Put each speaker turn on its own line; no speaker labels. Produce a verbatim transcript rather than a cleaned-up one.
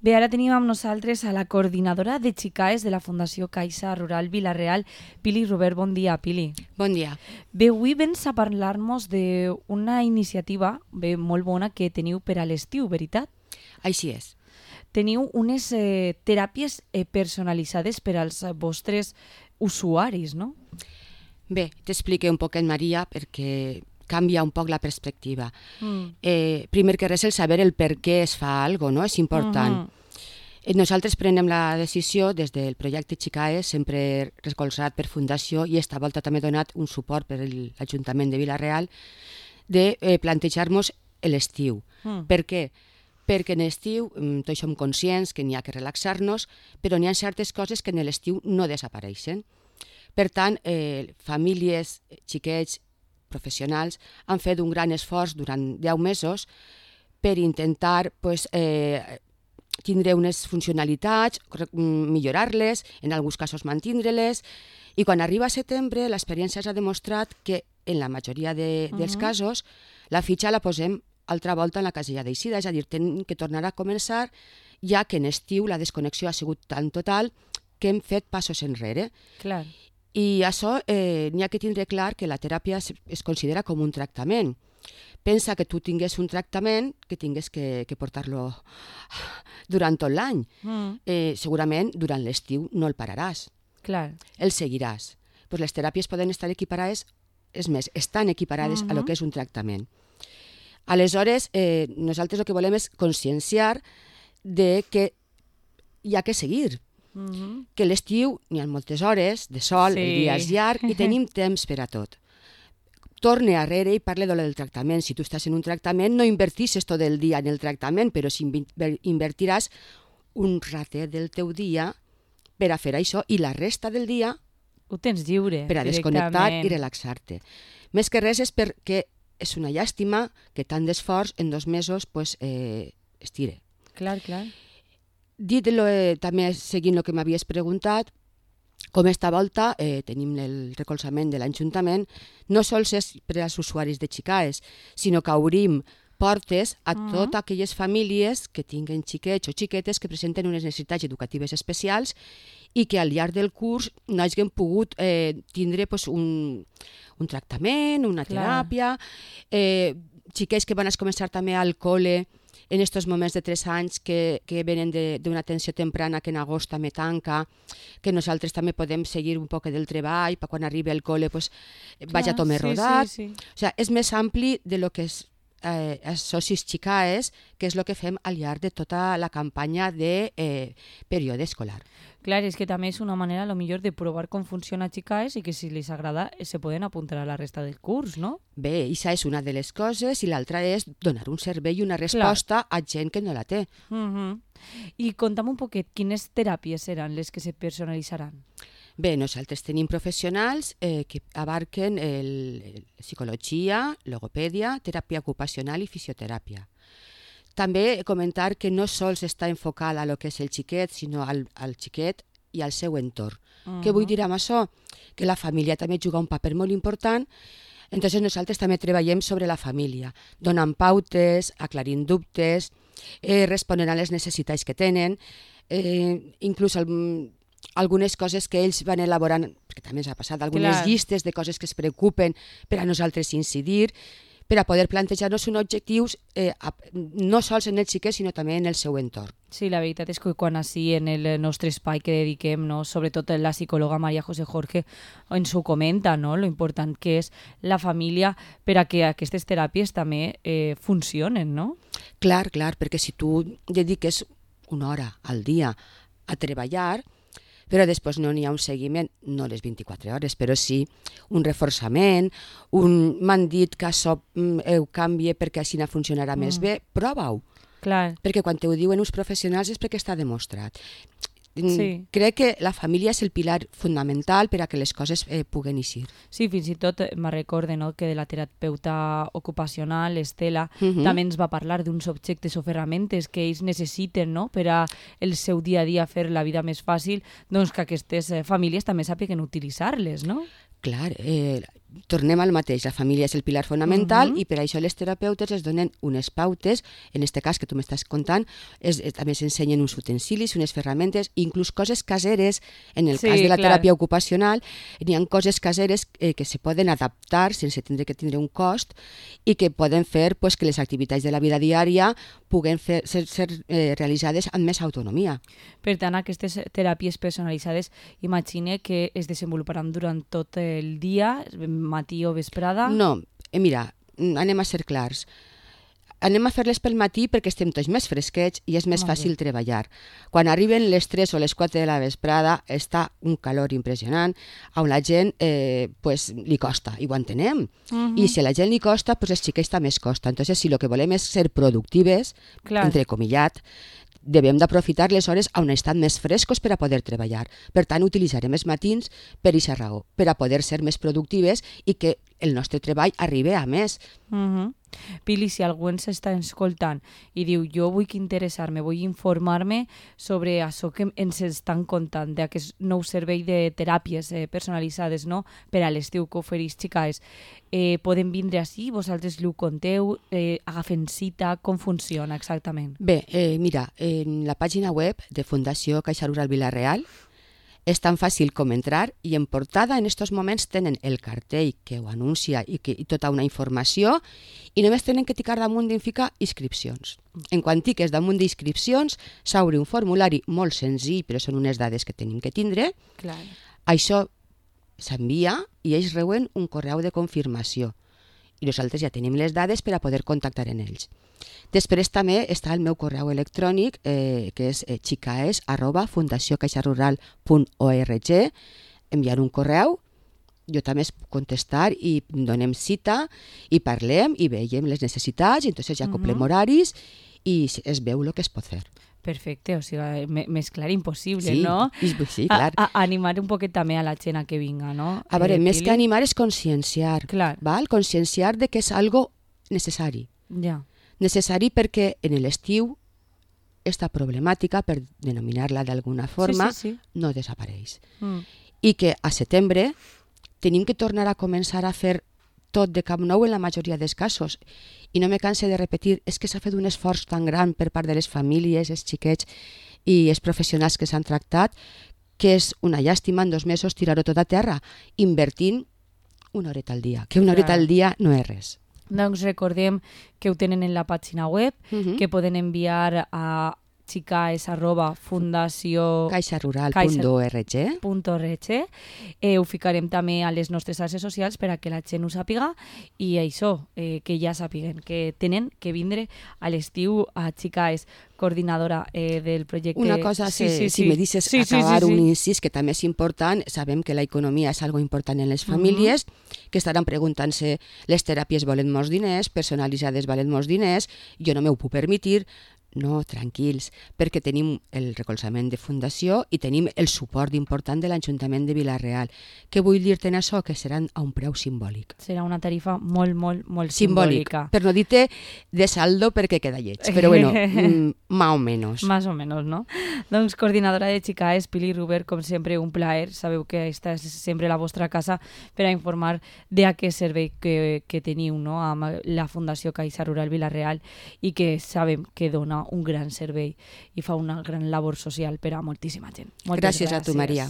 Bé, ara tenim amb nosaltres a la coordinadora de Xicaes de la Fundació Caixa Rural Vila-real, Pili Robert. Bon dia, Pili.
Bon dia.
Bé, avui vens a parlar-nos d'una iniciativa bé, molt bona que teniu per a l'estiu, veritat?
Així és.
Teniu unes eh, teràpies eh, personalitzades per als vostres usuaris, no?
Bé, t'explique un poc en Maria perquè canvia un poc la perspectiva. Mm. Eh, primer que res, el saber el per què es fa alguna cosa, no? És important. Mm-hmm. Nosaltres prenem la decisió des del projecte Xicaes, sempre recolzat per Fundació i esta volta també donat un suport per l'Ajuntament de Vila-real, de eh, plantejar-nos l'estiu. Mm. Per què? Perquè en l'estiu tots som conscients que n'hi ha que relaxar-nos, però n'hi ha certes coses que en l'estiu no desapareixen. Per tant, eh, famílies, xiquets, professionals han fet un gran esforç durant deu mesos per intentar pues, eh, tindre unes funcionalitats, millorar-les, en alguns casos mantindre-les, i quan arriba a setembre l'experiència ha demostrat que en la majoria de, uh-huh. dels casos la fitxa la posem altra volta en la casella d'eixida, és a dir, tenim que tornar a començar, ja que en estiu la desconnexió ha sigut tan total que hem fet passos enrere.
Clar.
I això eh, n'hi ha que tindre clar que la teràpia es, es considera com un tractament. Pensa que tu tingués un tractament que tingués que, que portar-lo durant tot l'any. Mm. Eh, segurament durant l'estiu no el pararàs.
Clar.
El seguiràs. Pues les teràpies poden estar equiparades, és més, estan equiparades mm-hmm. a lo que és un tractament. Aleshores, eh, nosaltres el que volem és conscienciar de que hi ha que seguir. Mm-hmm. Que l'estiu n'hi ha moltes hores de sol, sí. El dia és llarg i tenim temps per a tot. Torne arrere i parle de lo del tractament. Si tu estàs en un tractament, no invertisses tot el dia en el tractament, però si invertiràs un ratet del teu dia per a fer això i la resta del dia
ho tens lliure,
per a desconnectar i relaxar-te. Més que res és perquè és una llàstima que tant d'esforç en dos mesos pues, eh, es tire.
Clar, clar.
Dit lo, eh, també seguint el que m'havies preguntat, com esta volta eh, tenim el recolzament de l'Ajuntament, no sols és per als usuaris de Xicaes, sinó que obrim portes a uh-huh. totes aquelles famílies que tinguen xiquets o xiquetes que presenten unes necessitats educatives especials i que al llarg del curs no hagin pogut eh, tindre pues, un, un tractament, una
Clar.
teràpia, eh, xiquets que van a començar també al col·le en aquests moments de tres anys que, que venen d'una atenció temprana que en agost també tanca, que nosaltres també podem seguir un poc del treball per quan arribi al col·le pues, vagi tot més
sí,
rodat.
Sí, sí.
O sigui, és més ampli de lo que és eh, els socis Xicaes, que és el que fem al llarg de tota la campanya de eh, període escolar.
Clar, és que també és una manera, a lo millor, de provar com funciona Xicaes i que si les agrada se poden apuntar a la resta del curs, no?
Bé, això és una de les coses i l'altra és donar un servei i una resposta Clar. A gent que no la té.
Uh-huh. I conta'm un poquet, quines teràpies seran les que se personalitzaran?
Bé, nosaltres tenim professionals eh, que abarquen el, el psicologia, logopèdia, teràpia ocupacional i fisioteràpia. També comentar que no sols està enfocada a lo que és el xiquet, sinó al, al xiquet i al seu entorn. Uh-huh. Què vull dir amb això? Que la família també juga un paper molt important. Entonces nosaltres també treballem sobre la família, donant pautes, aclarint dubtes, eh, responent a les necessitats que tenen, eh, inclús el, algunes coses que ells van elaborant, perquè també ens ha passat, algunes
Clar.
llistes de coses que es preocupen per a nosaltres incidir, per a poder plantejar-nos uns objectius eh, no sols en el xiquet, sinó també en el seu entorn.
Sí, la veritat és que quan així en el nostre espai que dediquem, no, sobretot la psicòloga Maria José Jorge ens ho comenta, no, lo important que és la família per a que aquestes teràpies també eh, funcionen, no?
Clar, clar, perquè si tu dediques una hora al dia a treballar, però després no n'hi ha un seguiment, no les vint-i-quatre hores, però sí un reforçament, un m'han dit que això ho canvie perquè així funcionarà mm. més bé, prova-ho.
Clar.
Perquè quan t'ho diuen uns professionals és perquè està demostrat.
Sí.
Crec que la família és el pilar fundamental per a que les coses eh, puguen eixir.
Sí, fins i tot me recorde, no, que de la terapeuta ocupacional, Estela, uh-huh. també ens va parlar d'uns objectes o ferramentes que ells necessiten, no, per a el seu dia a dia fer la vida més fàcil, doncs que aquestes eh, famílies també sàpiguen utilitzar-les, no?
Clar, eh, tornem al mateix, la família és el pilar fonamental
Mhm.
i per això les terapeutes es donen unes pautes, en este cas que tu m'estàs contant, es, es, també s'ensenyen uns utensilis, unes ferramentes, inclús coses caseres, en el
Sí,
cas de la
clar.
teràpia ocupacional, n'hi ha coses caseres eh, que se poden adaptar sense tindre que tindre un cost i que poden fer pues, que les activitats de la vida diària puguen fer, ser, ser eh, realitzades amb més autonomia.
Per tant, aquestes teràpies personalitzades, imagine que es desenvoluparan durant tot el dia, matí o vesprada.
No, eh, mira, mm, anem a ser clars. Anem a fer-les pel matí perquè estem tots més fresquets i és més
Molt
fàcil treballar. Quan arriben les tres o les quatre de la vesprada està un calor impressionant on la gent eh, pues, li costa, i ho entenem.
Mhm.
I si a la gent li costa, pues els xiquets també es costa. Entonces, si el que volem és ser productives,
Clar.
entrecomillat, devem d'aprofitar les hores on estan més frescos per a poder treballar. Per tant, utilitzarem els matins per aquesta raó, per a poder ser més productives i que el nostre treball arribi a més.
Mhm. Pili, si algú ens està escoltant i diu jo vull interessar-me, vull informar-me sobre això que ens estan contant, d'aquest nou servei de teràpies eh, personalitzades, no?, per a l'estiu que ofereix Xicaes, eh, poden vindre ací, vosaltres li ho conteu, eh, agafen cita, com funciona exactament?
Bé, eh, mira, en la pàgina web de Fundació Caixa Rural Vila-real és tan fàcil com entrar i en portada en aquests moments tenen el cartell que ho anuncia i, que, i tota una informació i només tenen que ticar damunt i ficar inscripcions. En quan tiques damunt d'inscripcions s'obre un formulari molt senzill, però són unes dades que tenim que tindre.
Clar.
Això s'envia i ells reuen un correu de confirmació i nosaltres ja tenim les dades per a poder contactar en ells. Després també està el meu correu electrònic, eh, que és eh, xicaes arroba fundació caixa rural punt org. Enviar un correu, jo també es puc contestar i donem cita i parlem i veiem les necessitats i entonces ja acoplem
Mhm.
horaris i es veu el que es pot fer.
Perfecte, o sigui, me- més clar impossible,
Sí,
no?
i- sí, clar.
A, a, animar un poquet també a la gent a que vinga, no?
A veure,
Eh,
més
Pili?
que animar és conscienciar,
Clar.
val? Conscienciar de que és algo necessari.
Ja.
Necessari perquè en l'estiu esta problemàtica, per denominar-la d'alguna forma,
Sí, sí, sí.
no desapareix.
Mm.
I que a setembre tenim que tornar a començar a fer tot de cap nou en la majoria dels casos. I no me canse de repetir, és que s'ha fet un esforç tan gran per part de les famílies, els xiquets i els professionals que s'han tractat, que és una llàstima en dos mesos tirar-ho tot a terra, invertint una horeta al dia, que una horeta
Clar.
al dia no és res.
Doncs recordem que ho tenen en la pàgina web,
Mhm.
que poden enviar a xicaes arroba fundació
caixa rural punt org.
punt org. Eh, ho ficarem també a les nostres xarxes socials per a que la gent ho sàpiga i això, eh, que ja sàpiguen que tenen que vindre a l'estiu a Xicaes, coordinadora eh, del projecte.
Una cosa,
sí,
se,
sí,
si
sí.
me dices
Sí, sí,
acabar
sí, sí.
un incís que també és important, sabem que la economia és algo important en les famílies, que estaran preguntant-se, les teràpies volen molts diners, personalitzades valen molts diners, jo no m'ho puc permetre. No, tranquils, perquè tenim el recolzament de fundació i tenim el suport important de l'Ajuntament de Vila-real. Què vull dir-te en això? Que seran a un preu simbòlic.
Serà una tarifa molt, molt, molt
Simbòlic,
simbòlica.
per no dir-te de saldo perquè queda lleig, però bueno, mm, más o menos.
Más o menos, no? Doncs coordinadora de Xicaes, Pili Ruber, com sempre, un plaer. Sabeu que esta és sempre la vostra casa per a informar d'aquest servei que, que teniu, no?, amb la Fundació Caixa Rural Vila-real i que sabem que dona un gran servei i fa una gran labor social per a moltíssima gent. Moltes
Gràcies a tu, Maria.